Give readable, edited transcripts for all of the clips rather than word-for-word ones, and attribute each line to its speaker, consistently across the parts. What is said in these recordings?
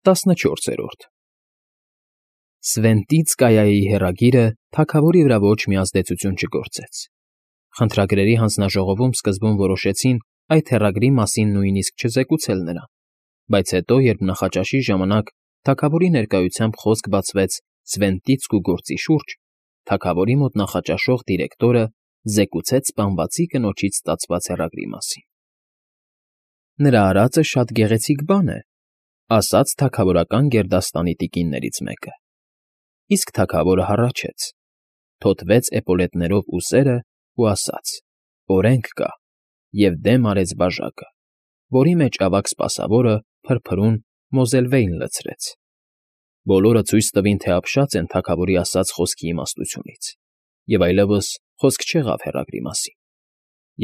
Speaker 1: 14 Սվենտիցկայայի հեռագիրը թագավորի վրա ոչ մի ազդեցություն չգործեց։ Խնդրագրերի հանձնաժողովում սկզբում որոշեցին այդ հեռագրի մասին նույնիսկ չզեկուցել նրան, բայց հետո, երբ նախաճաշի ժամանակ թագավորի ներկայությամբ խոսք բացվեց Սվենտիցկու գործի շուրջ, թագավորի մոտ նախաճաշող դիրեկտորը զեկուցեց սպանվածի կնոջից ստացված հեռագրի մասին։ Նրա արածը շատ գեղեցիկ բան է, ասաց թագավորական գերդաստանի տիկիններից մեկը։ Իսկ թագավորը հառաչեց, թոթվեց էպոլետներով ուսերն ու ասաց. «Օրենք կա», և դեմ արեց բաժակը, որի մեջ ավագ սպասավորը փրփրուն Մոզելվեյն լցրեց։ Բոլորը ցույց տվին, թե ապշած են թագավորի ասած խոսքի իմաստությունից, և այլևս խոսք չեղավ հեռագրի մասին,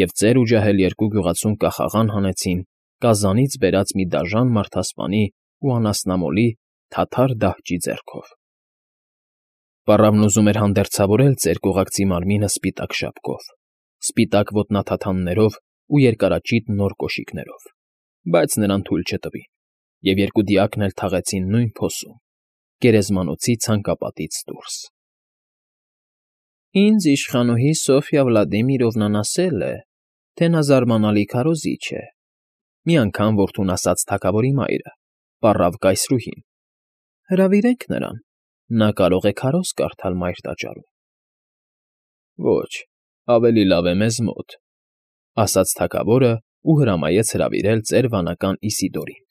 Speaker 1: և ծեր ու ջահել երկու գյուղացուն կախաղան հանեցին կազանից բերած մի դաժան մարդասպանի ու անասնամոլի թաթար դահճի ձեռքով։ Պառավն ուզում էր հանդերձավորել ծեր կողակցի մարմինը սպիտակ շապկով, սպիտակ ոտնաթաթաններով ու երկարաճիտ նոր կոշիկներով, բայց նրան թույլ չտվին, և երկու դիակն էլ թաղեցին նույն փոսում, գերեզմանոցի ցանկապատից դուրս։ «Ինձ իշխանուհի Սոֆյա Վլադիմիրովնան ասել է, թե նա զարմանալի քարոզիչ է», մի անգամ որդուն ասաց թագավորի մայրը, պառավ կայսրուհին։ «Հրավիրեք նրան, նա կարող է քարոզ կարդալ մայր տաճարում»։ «Ոչ, ավելի լավ է մեզ մոտ», ասաց թագավորն ու հրամայեց հրավիրել ծեր վանական Իսիդորին։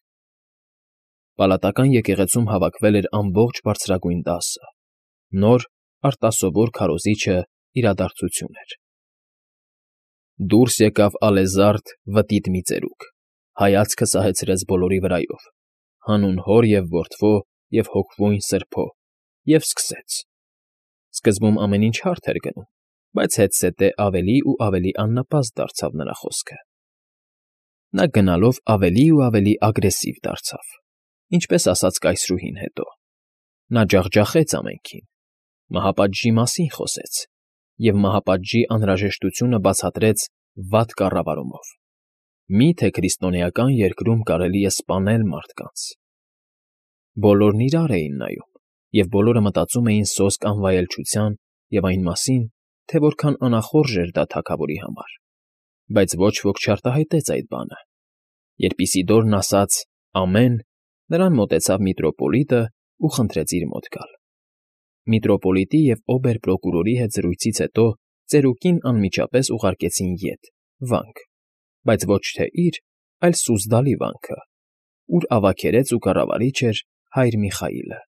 Speaker 1: Պալատական եկեղեցում հավաքվել էր ամբողջ բարձրագույն դասը, նոր, արտասովոր քարոզիչը իրադարձություն էր։ Դուրս եկավ ալեզարդ վտիտ մի ծերուկ, հայացքը սահեցրեց բոլորի վրայով, հանուն հոր և որդվո և հոգվույն սրբո, և սկսեց։ Սկզբում ամեն ինչ հարթ էր գնում, բայց հետզհետե ավելի ու ավելի աննպաստ դարձավ նրա խոսքը։ Նա գնալով ավելի ու ավելի ագրեսիվ դարձավ, ինչպես ասաց կայսրուհին հետո։ Նա ջախջախեց ամենքին, մահապատժի մասին խոսեց և մահապատժի անհրաժեշտությունը բացատրեց վատ կառավարումով։ Մի՞թե քրիստոնեական երկրում կարելի է սպանել մարդկանց։ Բոլորն իրար էին նայում, և բոլորը մտածում էին սոսկ անվայելչության և այն մասին, թե որքան անախորժ էր դա թագավորի համար, բայց ոչ ոք չարտահայտեց այդ բանը։ Երբ Իսիդորն ասաց «Ամեն», նրան մոտեցավ միտրոպոլիտն ու խնդրեց իր մոտ գալ։ Միտրոպոլիտի և օբեր֊պրոկուրորի հետ զրույցից հետո ծերուկին անմիջապես ուղարկեցին ետ, վանք, բայց ոչ թե իր, այլ Սուզդալի վանքը, ուր ավագերես ու կառավարիչ էր հայր Միխայիլը։